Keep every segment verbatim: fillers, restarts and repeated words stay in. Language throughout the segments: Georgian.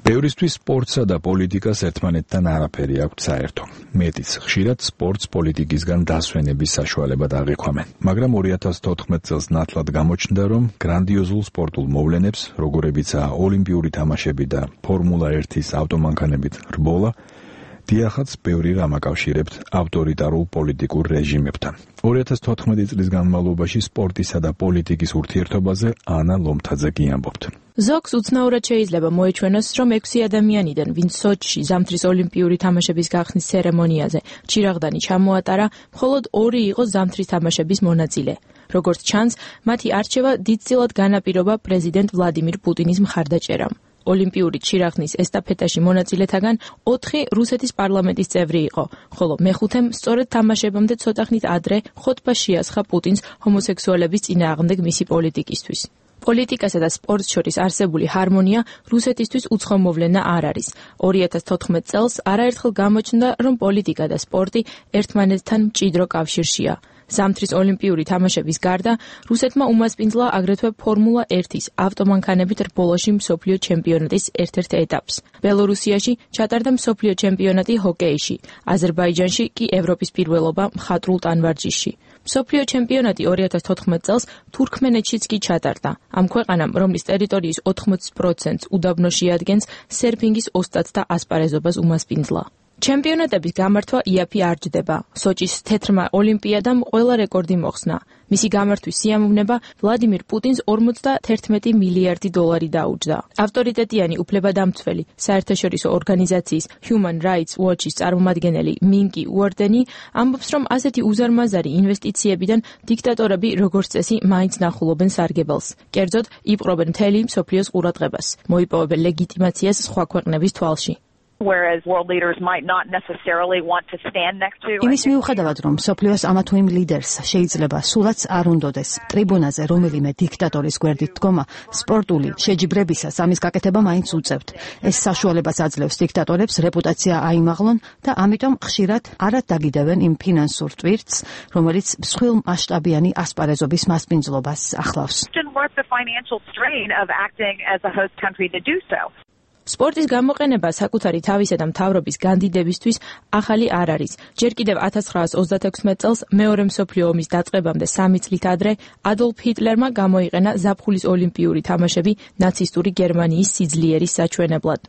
ბევრისთვის სპორტსა და პოლიტიკას ერთმანეთთან არაფერი აქვს საერთო. მეტიც ხშირად სპორტს პოლიტიკისგან დასვენების საშუალებად აღიქვამენ. მაგრამ ორი ათას თოთხმეტ წელს ნათლად გამოჩნდა, რომ გრანდიოზულ სპორტულ მოვლენებს, როგორებიცაა ოლიმპიური თამაშები და ფორმულა ერთის ავტომანქანებით რბოლა, დიახაც ბევრი რამ აკავშირებთ ავტორიტარულ პოლიტიკურ რეჟიმებთან. ორი ათას თოთხმეტი წლის განმავლობაში სპორტისა და პოლიტიკის ურთიერთობაზე ანა ლომთაძე გიამბობთ. ზოგს უცნაურად შეიძლება მოეჩვენოს, რომ ექვსი ადამიანიდან, ვინც სოჩში ზამთრის ოლიმპიური თამაშების გახსნის ცერემონიაზე ჩირაღდანი ჩამოატარა, მხოლოდ ორი იყო ზამთრის თამაშების მონაწილე. როგორც ჩანს, მათი არჩევა დიდწილად განაპირობა პრეზიდენტ ვლადიმირ პუტინის მხარდაჭერამ. ოლიმპიური ჩირაღდნის ესტაფეტაში მონაწილეთაგან ოთხი რუსეთის პარლამენტის წევრი იყო, ხოლო მეხუთემ სწორედ თამაშებამდე ცოტა ხნით ადრე ხოტბა შეასხა პუტინს ჰომოსექსუალების წინააღმდეგ მისი პოლიტიკისთვის. პოლიტიკასა და სპორტს შორის არსებული ჰარმონია რუსეთისთვის უცხო მოვლენა არ არის. ორი ათას თოთხმეტ წელს არაერთხელ გამოჩნდა, რომ პოლიტიკა და სპორტი ერთმანეთთან მჭიდრო კავშირშია. ზამთრის ოლიმპიური თამაშების გარდა რუსეთმა უმასპინძლა აგრეთვე ფორმულა ერთის ავტომანქანებით რბოლაში მსოფლიო ჩემპიონატის ერთ-ერთ ეტაპს. ბელორუსიაში ჩატარდა მსოფლიო ჩემპიონატი ჰოკეიში, აზერბაიჯანში კი ევროპის პირველობა მხატვრულ ტანვარჯიშში. მსოფლიო ჩემპიონატი ორი ათას თოთხმეტ წელს თურქმენეთშიც კი ჩატარდა. ამ ქვეყანამ, რომლის ტერიტორიის ოთხმოცი პროცენტს უდაბნოში ადგენს, სერფინგის ოსტატს და ასპარეზობას უმასპინძლა. ჩემპიონატების გამართვა იაფი არ ჯდება. სოჭის თეთრმა ოლიმპიადამ ყველა რეკორდი მოხსნა. მისი გამართვის სიამოვნება ვლადიმირ პუტინს ორმოცდაერთმეტი მილიარდი დოლარი დაუჯდა. ავტორიტეტიანი უფლებადამცველი საერთაშორისო ორგანიზაციის Human Rights Watch-ის წარმომადგენელი მინკი უორდენი ამბობს, რომ ასეთი უზარმაზარი ინვესტიციებიდან დიქტატორები როგორც წესი მაინც ნახულობენ სარგებელს. კერძოდ, იპყრობენ მთელი მსოფლიოს ყურადღებას, მოიპოვებენ ლეგიტიმაციას სხვა ქვეყნების თვალში. Whereas world leaders might not necessarily want to stand next to. იმის მიუხედავად, რომ სოფლიოს ამა თუ იმ ლიდერს შეიძლება სულაც არ უნდოდეს ტრიბუნაზე რომელიმე დიქტატორის გვერდით დგომა, სპორტული შეჯიბრებისას ამის გაკეთება მაინც უწევთ. ეს საშუალებას აძლევს დიქტატორებს რეპუტაცია აიმაღლონ და ამიტომ ხშირად არად დაგიდევენ იმ ფინანსურ ტვირთს, რომელიც მსხვილ მასშტაბიანი ასპარეზობის მასპინძლობას ახლავს. სპორტის გამოყენება საკუთარი თავისა და მთავრობის განდიდებისთვის ახალი არ არის. ჯერ კიდევ ათას ცხრაას ოცდათექვსმეტ წელს მეორე მსოფლიო ომის დაწყებამდე სამი წლით ადრე ადოლფ ჰიტლერმა გამოიყენა ზაფხულის ოლიმპიური თამაშები ნაცისტური გერმანიის სიძლიერის საჩვენებლად.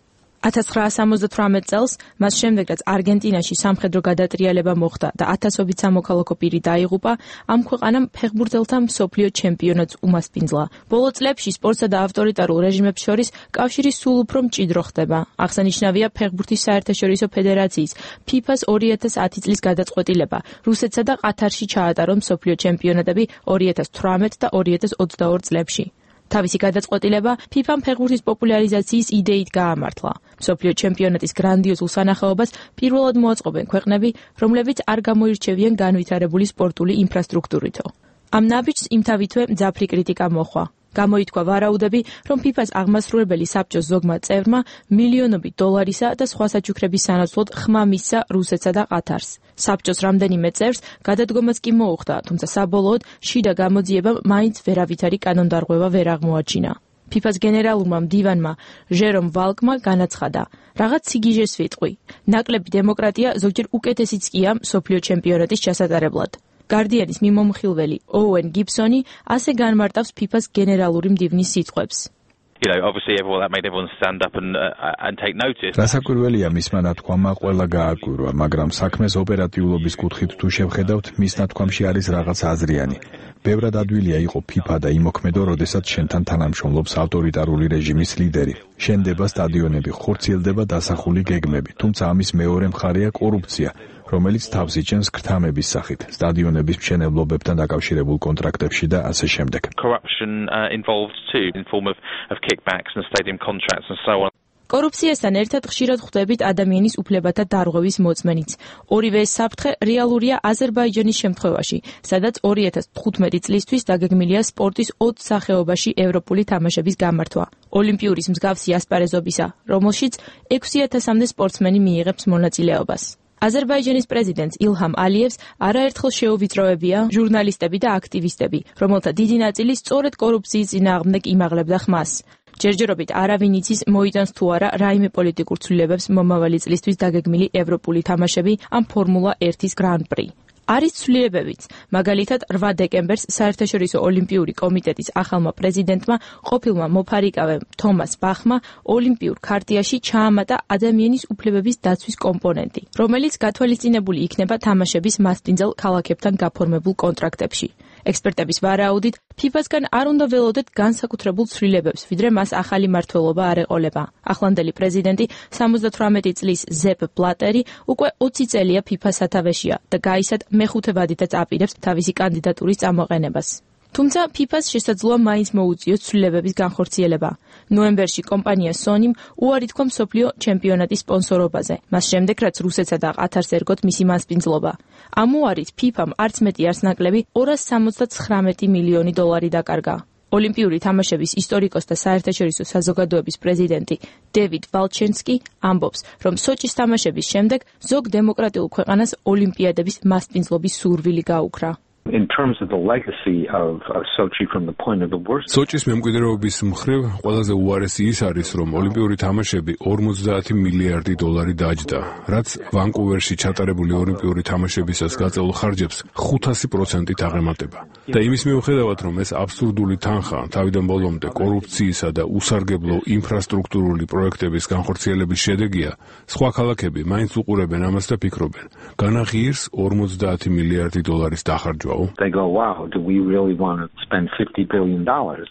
ათას ცხრაას სამოცდათვრამეტ წელს, მას შემდეგ რაც არგენტინაში სამხედრო გადატრიალება მოხდა და ათასობით სამოქალაქო პირი დაიღუპა, ამ ქვეყანამ ფეხბურთელთა მსოფლიო ჩემპიონატს უმასპინძლა. ბოლო წლებში სპორტსა და ავტორიტარულ რეჟიმებს შორის კავშირი სულ უფრო მჭიდრო ხდება. აღსანიშნავია ფეხბურთის საერთაშორისო ფედერაციის ფიფას ორი ათას ათი წლის გადაწყვეტილება რუსეთსა და ყათარში ჩაატარო მსოფლიო ჩემპიონატები ორი ათას თვრამეტ და ორი ათას ოცდაორ წლებში. თავისი გადაწყვეტილება ფიფამ ფეხბურთის პოპულარიზაციის იდეით გაამართლა. მსოფლიო ჩემპიონატის გრანდიოზულ სანახაობას პირველად მოაწყობენ ქვეყნები, რომლებიც არ გამოირჩევიან განვითარებული სპორტული ინფრასტრუქტურითო. ამ ნაბიჯს იმთავითვე მძაფრი კრიტიკა მოჰყვა. გამოითქვა ვარაუდები, რომ ფიფას აღმასრულებელი საბჭოს ზოგმა წევრმა მილიონობით დოლარისა და სხვა საჩუქრების სანაცვლოდ ხმა მისცა რუსეთსა და ყათარს. საბჭოს რამდენიმე წევრს გადადგომაც კი მოუხდა, თუმცა საბოლოოდ შიდა გამოძიებამ მაინც ვერავითარი კანონდარღვევა ვერ აღმოაჩინა. ფიფას გენერალურმა მდივანმა ჟერომ ვალკმა განაცხადა: "რაღაც სიგიჟეს ვიტყვი. ნაკლები დემოკრატია ზოგჯერ უკეთესიც კია მსოფლიო ჩემპიონატის ჩასატარებლად." გარდიანის მიმომხილველი ოუენ გიბსონი ასე განმარტავს ფიფას გენერალური მდივნის სიტყვებს. You know, obviously everyone that made everyone stand up and uh, and take notice. რასაკვირველია მისმა ნათქვამა ყველა გააკვირვა, მაგრამ საქმეს ოპერატიულობის კუთხით თუ შევხედავთ, მის ნათქვამში არის რაღაც აზრიანი. ბევრად ადვილია იყო ფიფა და იმოქმედო, როდესაც შენთან თანამშრომლობს ავტორიტარული რეჟიმის ლიდერი. შენდება სტადიონები, ხორციელდება დასახული გეგმები, თუმცა ამის მეორე მხარეა კორუფცია, რომელიც თავს იჩენს ქრთამების სახით, სტადიონების მშენებლობებთან დაკავშირებულ კონტრაქტებში და ასე შემდეგ. Corruption uh, involved too in form of of kickbacks and stadium contracts and so on. კორუფციასთან ერთად ხშირად ხვდებით ადამიანის უფლებათა დარღვევის მოწმენიც. ორივე ეს საფრთხე რეალურია აზერბაიჯანის შემთხვევაში, სადაც ორი ათას თხუთმეტი წლისთვის დაგეგმილია სპორტის ოცი სახეობაში ევროპული თამაშების გამართვა. ოლიმპიურის მსგავსი ასპარეზობისა, რომელშიც ექვსი ათასამდე სპორტსმენი მიიღებს მონაწილეობას. აზერბაიჯანის პრეზიდენტს ილჰამ ალიევს არაერთხელ შეუვიწროებია ჟურნალისტები და აქტივისტები, რომელთა დიდი ნაწილი სწორედ კორუფციის წინააღმდეგ იმაღლებდა ხმას. ჯერჯერობით არავინ იცის მოიტანს თუ არა რაიმე პოლიტიკურ ცვლილებებს მომავალი წლისთვის დაგეგმილი ევროპული თამაშები ან ფორმულა ერთის გრან-პრი. არის ცვლილებებიც, მაგალითად რვა დეკემბერს საერთაშორისო ოლიმპიური კომიტეტის ახალმა პრეზიდენტმა ყოფილმა მოფარიკავემ თომას ბახმა ოლიმპიურ ქარტიაში ჩაამატა ადამიანის უფლებების დაცვის კომპონენტი, რომელიც გათვალისწინებული იქნება თამაშების მასპინძელ ქალაქებთან გაფორმებულ კონტრაქტებში. ექსპერტების ვარაუდით, ფიფას-გან არ უნდა ველოდეთ განსაკუთრებულ ცვლილებებს, ვიდრე მას ახალი მმართველობა არ ეყოლება. ახლანდელი პრეზიდენტი სამოცდათვრამეტი წლის ზეპ ბლატერი უკვე ოცი წელია ფიფას სათავეშია და გაისად მეხუთე ვადითაც აპირებს თავისი კანდიდატურის წამოყენებას. თუმცა ფიფას შესაძლოა მაინც მოუწიოს ცვლილებების განხორციელება. ნოემბერში კომპანია სონიმ უარი თქვა მსოფლიო ჩემპიონატის სპონსორობაზე, მას შემდეგ რაც რუსეთსა და ყათარს ერგოთ მისი მასპინძლობა. ამ უარით ფიფამ არც მეტი არც ნაკლები ორას სამოცდაცხრამეტი მილიონი დოლარი დაკარგა. ოლიმპიური თამაშების ისტორიკოს და საერთაშორისო საზოგადოების პრეზიდენტი დევიდ ვალჩენსკი ამბობს, რომ სოჭის თამაშების შემდეგ ზოგ დემოკრატიულ ქვეყანას ოლიმპიადების მასპინძლობის სურვილი გაუქრა. In terms of the legacy of, of Sochi from the point of the worst. სოჭის მემკვიდრეობის მხრივ ყველაზე უარესი ის არის, რომ ოლიმპიური თამაშები ორმოცდაათი მილიარდი დოლარი დაჯდა, რაც ვანკუვერში ჩატარებული ოლიმპიური თამაშებისას გაწეულ ხარჯებს ხუთასი პროცენტით აღემატება. და იმის მიუხედავად, რომ ეს აბსურდული თანხა თავიდან ბოლომდე კორუფციისა და უსარგებლო ინფრასტრუქტურული პროექტების განხორციელების შედეგია, სხვა ქალაქები მაინც უყურებენ ამას და ფიქრობენ, განაღიირს ორმოცდაათი მილიარდი დოლარის დახარჯვა. They go, wow, do we really want to spend fifty billion dollars?